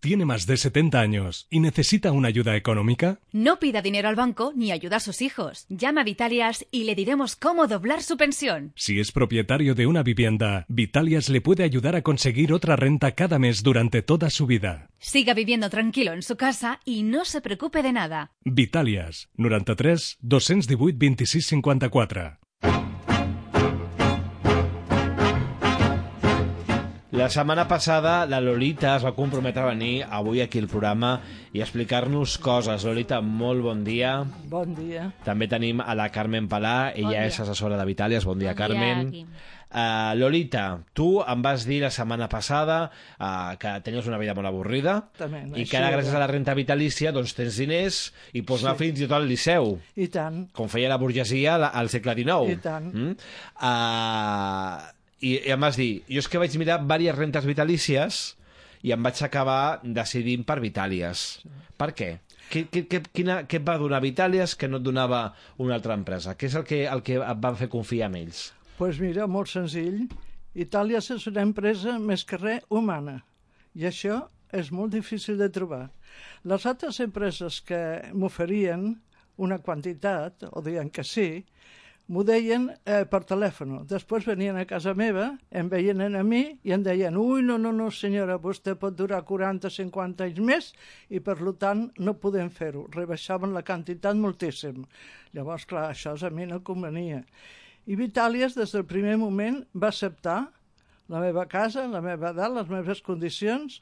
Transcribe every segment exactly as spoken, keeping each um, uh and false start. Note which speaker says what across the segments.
Speaker 1: ¿Tiene más de setenta años y necesita una ayuda económica?
Speaker 2: No pida dinero al banco ni ayuda a sus hijos. Llama a Vitalias y le diremos cómo doblar su pensión.
Speaker 1: Si es propietario de una vivienda, Vitalias le puede ayudar a conseguir otra renta cada mes durante toda su vida.
Speaker 2: Siga viviendo tranquilo en su casa y no se preocupe de nada.
Speaker 1: Vitalias, noranta-tres dos-cents divuit vint-i-sis cinquanta-quatre.
Speaker 3: La setmana passada la Lolita es va comprometre a venir avui aquí al programa i explicar-nos coses. Lolita, molt bon dia.
Speaker 4: Bon dia.
Speaker 3: També tenim a la Carmen Palà, ella
Speaker 5: Bon
Speaker 3: és assessora de Vitalias. Bon dia,
Speaker 5: Bon dia,
Speaker 3: Carmen.
Speaker 5: Quim.
Speaker 3: Uh, Lolita, tu em vas dir la setmana passada uh, que tenies una vida molt avorrida
Speaker 4: També,
Speaker 3: i
Speaker 4: així
Speaker 3: que ara,
Speaker 4: era.
Speaker 3: gràcies a la renta vitalícia, doncs tens diners i pots anar
Speaker 4: Sí.
Speaker 3: fins i tot al Liceu,
Speaker 4: I tant.
Speaker 3: com feia la burgesia al- al segle dinou.
Speaker 4: I tant.
Speaker 3: Mm? Uh, i, I em vas dir, jo és que vaig mirar diverses rentes vitalícies i em vaig acabar decidint per Vitàlies. Sí. Per què? Què, què, què, quina, què et va donar Vitàlies que no et donava una altra empresa? Què és el que, el que et va fer confiar en ells?
Speaker 4: Doncs pues mira, molt senzill. Itàlia és una empresa més que res humana i això és molt difícil de trobar. Les altres empreses que m'oferien una quantitat, o deien que sí, m'ho deien eh, per telèfon. Després venien a casa meva, em veien a mi i em deien ui, no, no, no, senyora, vostè pot durar quaranta cinquanta anys més i, per tant, no podem fer-ho. Rebaixaven la quantitat moltíssim. Llavors, clar, això a mi no convenia. I Vitàlies, des del primer moment, va acceptar la meva casa, la meva edat, les meves condicions,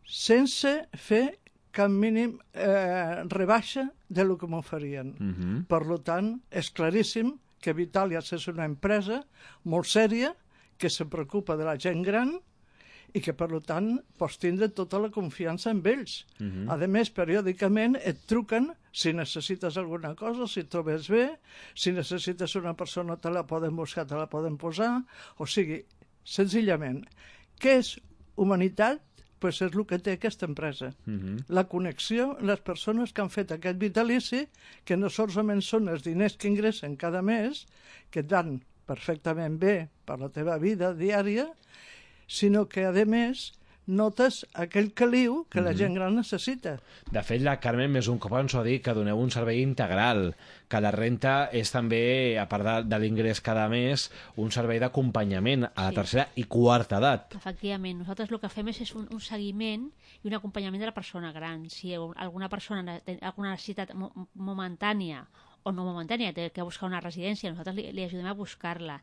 Speaker 4: sense fer cap mínim eh, rebaixa de lo que m'oferien.
Speaker 3: Mhm.
Speaker 4: Per tant, és claríssim que Vitàlies és una empresa molt sèria, que se preocupa de la gent gran i que, per tant, pots tindre tota la confiança en ells.
Speaker 3: Mhm.
Speaker 4: A més, periòdicament et truquen si necessites alguna cosa, si trobes bé, si necessites una persona te la poden buscar, te la poden posar, o sigui, senzillament, què és humanitat? Pues és el que té aquesta empresa.
Speaker 3: Mhm.
Speaker 4: La connexió, les persones que han fet aquest vitalici, que no solament són els diners que ingressen cada mes, que et van perfectament bé per la teva vida diària, sinó que, a més, notes aquell caliu que la gent gran necessita.
Speaker 3: De fet, la Carmen més un cop ens ho ha dit, que doneu un servei integral, que la renta és també, a part de, de l'ingrés cada mes, un servei d'acompanyament a la
Speaker 5: Sí.
Speaker 3: tercera i quarta edat.
Speaker 5: Efectivament, nosaltres el que fem és, és un, un seguiment i un acompanyament de la persona gran. Si alguna persona té alguna necessitat mo momentània o no momentània, té que buscar una residència, nosaltres li, li ajudem a buscar-la.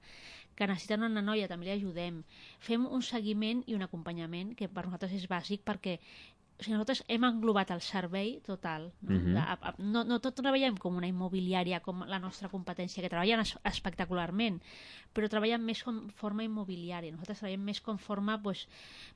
Speaker 5: Que necessiten una noia, també li ajudem. Fem un seguiment i un acompanyament que per nosaltres és bàsic perquè o sigui, nosaltres hem englobat el servei total. No,
Speaker 3: Mhm.
Speaker 5: de, a, a, no, no tot treballem com una immobiliària, com la nostra competència, que treballen es, espectacularment, però treballen més com forma immobiliària. Nosaltres treballem més com forma pues,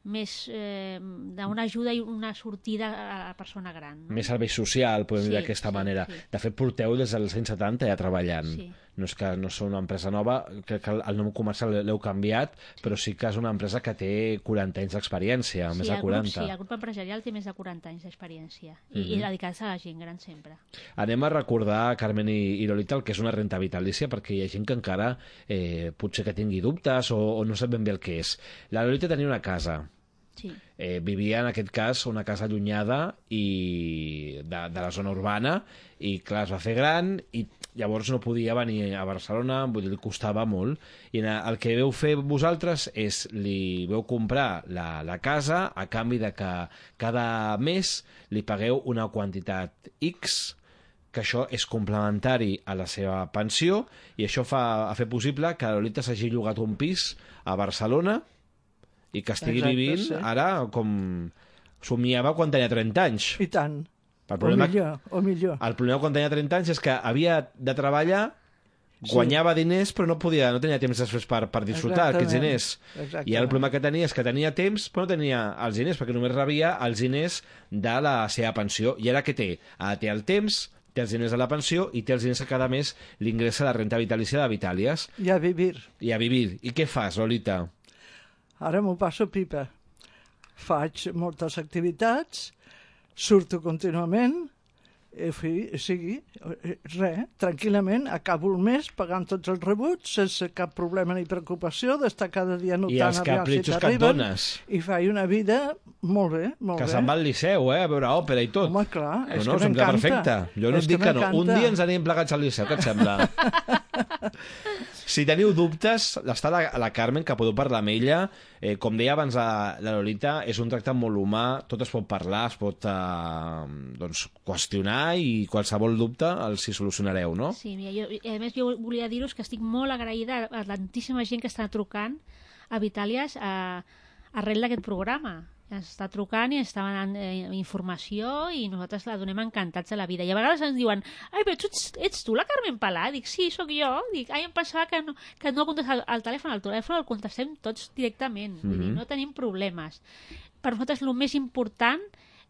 Speaker 5: més eh, d'una ajuda i una sortida a la persona gran. No?
Speaker 3: Més servei social, podem
Speaker 5: Sí,
Speaker 3: dir d'aquesta
Speaker 5: sí,
Speaker 3: manera.
Speaker 5: sí.
Speaker 3: De fet, porteu des dels anys setanta ja treballant.
Speaker 5: Sí.
Speaker 3: No és que no sou una empresa nova, crec que el nom comercial l'heu canviat, però sí que és una empresa que té quaranta anys d'experiència,
Speaker 5: Sí,
Speaker 3: més de
Speaker 5: el grup,
Speaker 3: quaranta.
Speaker 5: sí, el grup empresarial té més de quaranta anys d'experiència i,
Speaker 3: Mhm.
Speaker 5: i dedicats a la gent gran sempre.
Speaker 3: Anem a recordar, Carmen i, i Lolita, el que és una renta vitalícia, perquè hi ha gent que encara eh, potser que tingui dubtes o, o no sap ben bé el que és. La Lolita tenia una casa,
Speaker 5: Sí.
Speaker 3: eh, vivia en aquest cas una casa allunyada i de, de la zona urbana i clar, es va fer gran i llavors no podia venir a Barcelona, vull dir, li costava molt i el que veu fer vosaltres és li veu comprar la, la casa a canvi de que cada mes li pagueu una quantitat X, que això és complementari a la seva pensió i això fa, ha fet possible que la Lolita s'hagi llogat un pis a Barcelona i que estigui
Speaker 4: Exacte,
Speaker 3: vivint
Speaker 4: sí.
Speaker 3: ara com somiava quan tenia trenta anys.
Speaker 4: I tant.
Speaker 3: El
Speaker 4: O
Speaker 3: problema,
Speaker 4: millor, o millor.
Speaker 3: el problema quan tenia trenta anys és que havia de treballar, guanyava sí. diners però no podia, no tenia temps després per, per disfrutar
Speaker 4: Exactament.
Speaker 3: aquests diners.
Speaker 4: Exactament.
Speaker 3: I ara el problema que tenia és que tenia temps però no tenia els diners perquè només rebia els diners de la seva pensió. I ara què té? Ara té el temps, té els diners de la pensió i té els diners que cada mes li ingressa la renta vitalícia de Vitàlies.
Speaker 4: I a vivir.
Speaker 3: I a vivir. I què fas, Lolita?
Speaker 4: Ara m'ho passo pipa. Faig moltes activitats, surto contínuament, eh, fi, sigui, eh, res, tranquil·lament, acabo el mes pagant tots els rebuts, sense cap problema ni preocupació, d'estar cada dia notant
Speaker 3: I els capritxos que et dones.
Speaker 4: I faig una vida molt bé, molt
Speaker 3: Que
Speaker 4: bé.
Speaker 3: se'n va al Liceu, eh, a veure òpera i tot.
Speaker 4: Home, clar, és
Speaker 3: no, no,
Speaker 4: que
Speaker 3: sembla
Speaker 4: m'encanta.
Speaker 3: perfecte. Jo no
Speaker 4: És
Speaker 3: et dic que,
Speaker 4: que
Speaker 3: no. Un
Speaker 4: m'encanta.
Speaker 3: dia ens anem plegats al Liceu, què et sembla? Si teniu dubtes, està la, la Carmen, que podeu parlar amb ella. Eh, com deia abans la, la Lolita, és un tracte molt humà, tot es pot parlar, es pot eh, doncs, qüestionar i qualsevol dubte els hi solucionareu, no?
Speaker 5: Sí, mira, jo, a més jo volia dir-vos que estic molt agraïda a tantíssima gent que està trucant a Vitàlies a, arrel d'aquest programa. Ens està trucant i ens està donant eh, informació i nosaltres la donem encantats a la vida. I a vegades ens diuen, ai, però tu ets, ets tu la Carmen Palà? Dic, sí, sóc jo. Dic, ai, em pensava que no, que no contestat al telèfon. Al telèfon el contestem tots directament. Mm-hmm. Vull dir, no tenim problemes. Per nosaltres el més important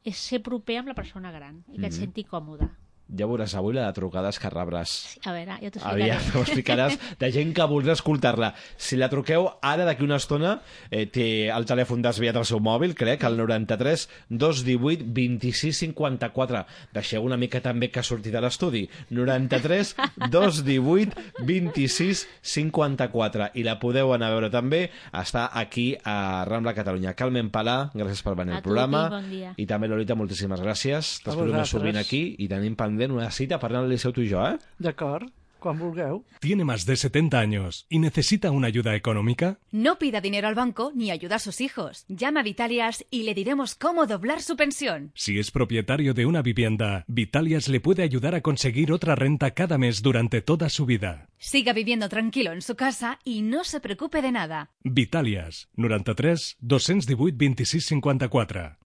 Speaker 5: és ser proper amb la persona gran i que mm-hmm. et senti còmode.
Speaker 3: Ja veuràs avui la de trucades que rebràs.
Speaker 5: Sí, a veure, ja t'ho explicaré.
Speaker 3: Aviam, ho explicaràs de gent que voldrà escoltar-la. Si la truqueu ara, d'aquí una estona, eh, té el telèfon desviat al seu mòbil, crec, el noranta-tres dos divuit vint-i-sis cinquanta-quatre. Deixeu una mica també que surti de l'estudi. noranta-tres dos divuit vint-i-sis cinquanta-quatre. I la podeu anar a veure també. Està aquí a Rambla Catalunya. Carmen Palà, gràcies per venir
Speaker 5: A
Speaker 3: al
Speaker 5: tu,
Speaker 3: programa.
Speaker 5: i bon dia.
Speaker 3: I també, Lolita, moltíssimes gràcies. T'espero més
Speaker 4: vosaltres.
Speaker 3: sovint aquí i tenim pendent una cita per anar al Liceu tu i jo, eh?
Speaker 4: D'acord, quan vulgueu.
Speaker 1: ¿Tiene más de setenta años y necesita una ayuda económica?
Speaker 2: No pida dinero al banco ni ayuda a sus hijos. Llama a Vitalias y le diremos cómo doblar su pensión.
Speaker 1: Si es propietario de una vivienda, Vitalias le puede ayudar a conseguir otra renta cada mes durante toda su vida.
Speaker 2: Siga viviendo tranquilo en su casa y no se preocupe de nada.
Speaker 1: Vitalias, noranta-tres dos divuit vint-i-sis cinquanta-quatre.